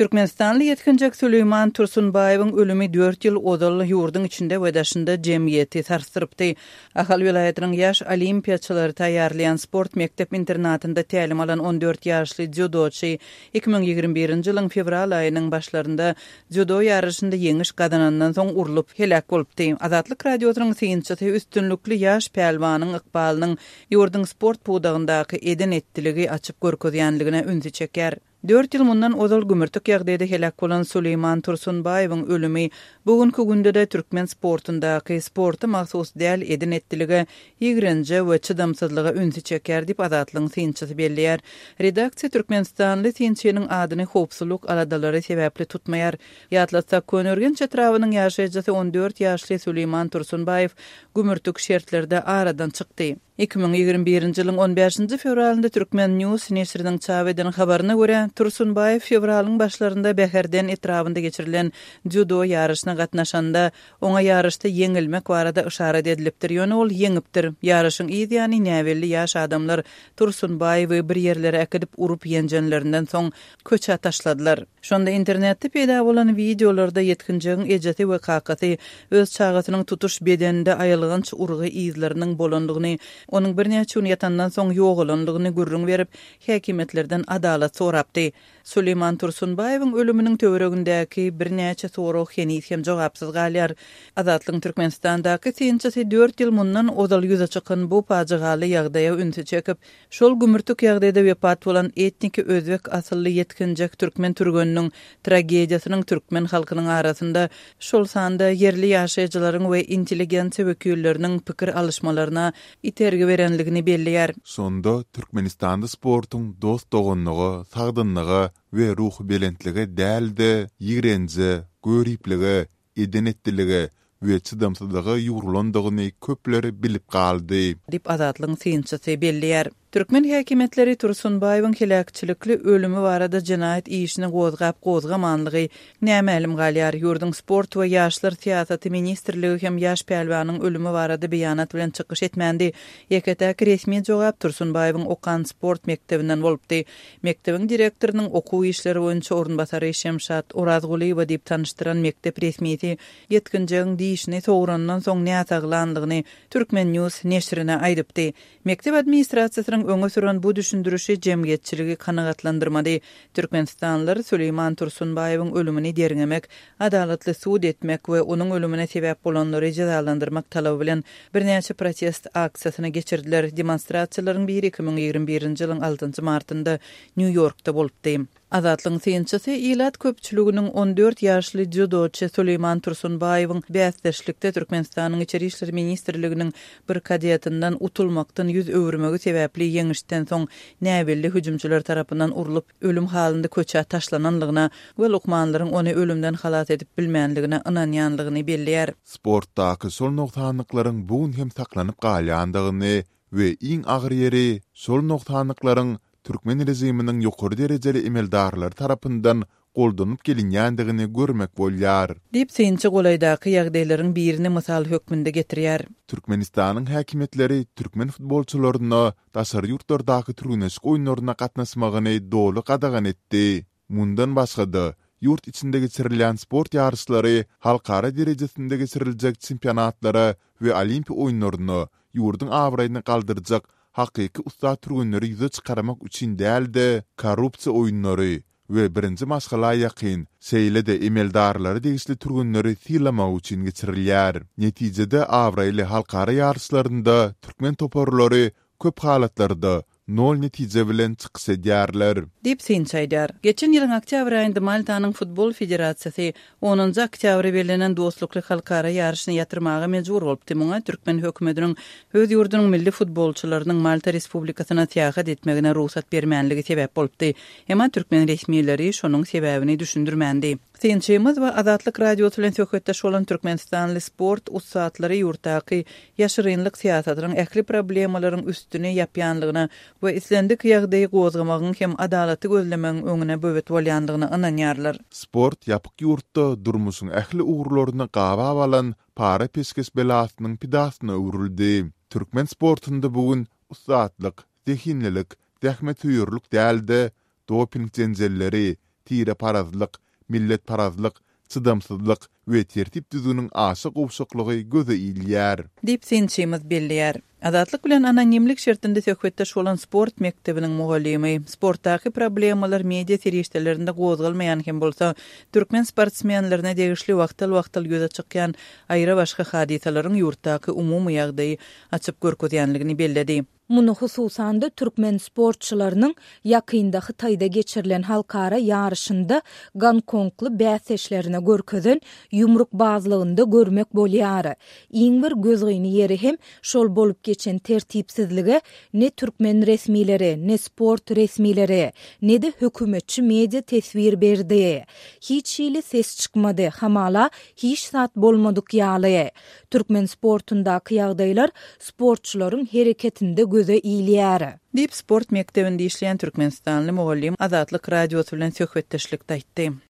Türkmenistanly ýetginjek Süleýman Tursunbaýewiň ölümi dört ýyl ozal ýurduň içinde we daşynda jemgyýeti sarsdyrypdy. Ahal welaýatynyň ýaş olimpiýaçylary taýýarlaýan sport mekdep-internatynda tälim alan 14 ýaşly dzýudoçy 2021-nji ýylyň fewral aýynyň başlarynda dzýudo ýaryşynda ýeňiş gazanandan soň urlup, heläk bolupdy. Azatlyk Radiosynyň synçysy üstünlikli ýaş pälwanyň ykbalynyň ýurduň sport pudagyndaky eden-etdiligi açyp görkezýänligine ünsi çekýär. Dört ýyl mundan ozal gümürtik ýagdaýda heläk bolan Suleýman Tursunbaýewiň ölümi bu günki günde-de türkmen sportundaky sporta mahsus däl eden-etdilige, ýigrenje we çydamsyzlyga ünsi çekýär diýip, Azatlygyň synçysy belleýär. Redaksiýa türkmenistanly synçynyň adyny howpsuzlyk aladalary sebäpli tutmaýar. Ýatlatsak, Köneürgenç etrabynyň ýaşaýjysy 14 ýaşly Suleýman Tursunbaýew gümürtik şertlerde aradan çykdy. 2021-nji ýylyň on bäşinji fewralynda Turkmen. News neşiriniň çap eden habaryna görä, Tursunbaýew fewralyň başlarynda Bäherden etrabynda geçirilen dzýudo ýaryşyna gatnaşanda, oňa ýaryşda ýeňilmek barada yşarat edilipdir, ýöne ol ýeňipdir. Ýaryşyň yz ýany näbelli ýaş adamlar Tursunbaýewi bir ýerlere äkidip urup-ýenjenlerinden soň, köçä taşladylar. Şonda internetde peýda bolan wideolarda ýetginjegiň ejesi we kakasy öz çagasynyň tutuş bedeninde aýylganç urgy yzlarynyň bolandygyny, onuň birnäçe gün ýatandan soň ýogalandygyny gürrüň berip, häkimiýetlerden adalat sorapdy. Suleýman Tursunbaýewiň ölüminiň töweregindäki birnäçe sorag heniz hem jogapsyz galýar. Azatlygyň Türkmenistandaky synçysy dört ýyl mundan ozal ýüze çykan bu pajygaly ýagdaýa ünsi çekip, Şol gümürtik ýagdaýda wepat bolan etniki özbek asylly ýetginjek türkmen türgeniniň tragediýasynyň türkmen halkynyň arasynda, şol sanda ýerli ýaşaýjylaryň we intelligensiýa wekilleriniň pikir alyşmalaryna itergi berenligini belleýär. Şonda Türkmenistanda sportuň dost-doganlyga, sagdynlyga we ruhubelentlige däl-de, ýigrenje, göriplige, eden-etdilige we çydamsyzlyga ýugrulandygyny köpler bilip galdy. Diýip, Azatlygyň synçysy belleýär. Türkmen häkimiýetleri Tursunbaýewiň heläkçilikli ölümi barada jenaýat işini gozgap-gozgamanlygy nämälim galýar. Ýurduň Sport we ýaşlar syýasaty ministrligi hem ýaş pälwanyň ölümi barada beýanat bilen çykyş etmändi. Ýeke-täk resmi jogap Tursunbaýewiň okan sport mekdebinden bolupdy. Mekdebiň direktorynyň okuw işleri boýunça orunbasary Şemşat Orazgulyýewa diýip tanyşdyran mekdep resmisi ýetginjegiň dişini sograndan soň näsaglandygyny Turkmen. News neşirine aýdypdy. Mekdep administrasiýasynyň öňe süren bu düşündirişi jemgyýetçiligi kanagatlandyrmady. Türkmenistanlylar Süleýman Tursunbaýewiň ölümini derňemek, adalatly sud etmek we onuň ölümine sebäp bolanlary jezalandyrmak talaby bilen birnäçe protest aksiýasyny geçirdiler. Demonstrasiýalaryň biri 2021-nji ýylyň altynjy martynda Nýu-Ýorkda bolupdy. Azatlygyň synçysy ilat köpçüliginiň 14 ýaşly dzýudoçy Suleýman Tursunbaýewiň bäsdeşlikde Türkmenistanyň Içeri işler ministrliginiň bir kadetinden utulmakdan ýüz öwürmegi sebäpli ýeňişden soň näbelli hüjümçiler tarapyndan urlup, ölüm halynda köçä taşlananlygyna we lukmanlaryň ony ölümden halas edip bilmänligine ynanýanlygyny belleýär. Sportdaky şol nogsanlyklaryň bu gün hem saklanyp galýandygyny we iň agyr ýeri, şol nogsanlyklaryň türkmen režiminiň ýokary derejeli emeldarlary tarapyndan goldanyp gelinýändigini görmek bolýar. Diýip, synçy golaýdaky ýagdaýlaryň birini mysal hökmünde getirýär. Türkmenistanyň häkimiýetleri türkmen futbolçylaryna daşary ýurtlardaky türgenleşik oýunlaryna gatnaşmagyny doly gadagan etdi. Mundan başga-da, ýurt içinde geçirilýän sport ýaryşlary halkara derejesinde geçiriljek çempionatlara we Olimpiýa oýunlaryna ýurduň abraýyny galdyrjak hakyky ussat türgenleri ýüze çykarmak üçin däl-de, korrupsiýa oýunlary we birinji maşgala ýakyn, şeýle-de emeldarlara degişli türgenleri sylamak üçin geçirilýär. Netijede abraýly halkara ýaryşlarynda türkmen toparlary köp halatlarda nol netije bilen çykyş edýärler. Diýip, synçy aýdýar. Geçen ýylyň oktýabr aýynda Maltanyň futbol federasiýasy onunjy oktýabra bellenen dostlukly halkara ýaryşyny ýatyrmaga mejbur bolupdy. Muňa türkmen hökümetiniň öz ýurdunyň milli futbolçylarynyň Malta Respublikasyna syýahat etmegine rugsat bermänligi sebäp bolupdy. Emma türkmen resmileri şonuň sebäbini düşündirmändi. Synçymyz we Azatlyk Radiosy bilen söhbetdeş bolan türkmenistanly sport ussatlary ýurtdaky ýaşyrynlyk syýasatynyň ähli problemalaryň üstüni ýapýanlygyna we islendik ýagdaýy gozgamagyň hem adalaty gözlemegiň öňüne böwet bolýanlygyna ynanýarlar. Sport ýapyk ýurtda durmuşyň ähli ugurlaryny gabap alan para-peşgeş belasynyň pidasyna öwrüldi. Türkmen sportunda bu gün ussatlyk, zehinlilik, zähmetsöýerlik däl-de, doping jenjelleri, tireparazlyk, milletparazlyk, çydamsyzlyk we tertip-düzgüniň aşa gowşaklygy göze ilýär. Diýip, synçymyz belleýär. Azatlyk bilen anonimlik şertinde söhbetdeş bolan sport mekdebiniň mugallymy, sportdaky problemalar media serişdelerinde gozgalmaýan hem bolsa, türkmen sportsmenlerine degişli wagtal-wagtal ýüze çykýan aýra-başga hadysalaryň ýurtdaky umumy ýagdaýy açyp görkezýänligini belledi. Muny hususan-da türkmen sportçylarynyň ýakynda Hytaýda geçirilen halkara ýaryşynda gonkongly bäsdeşlerine görkezen ýumrukbazlygynda görmek bolýar. Iň bir gözgyny ýeri hem şol bolup geçen tertipsizlige ne türkmen resmileri, ne sport resmileri, ne-de hökümetçi media teswir berdi. Hiç hili ses çykmady, hamala hiç zat bolmadyk ýaly. Türkmen sportundaky ýagdaýlar sportçylaryň hereketinde göze ilýär. Diýip, sport mekdebinde işleýän türkmenistanly mugallym Azatlyk Radiosy bilen söhbetdeşlikde aýtdy.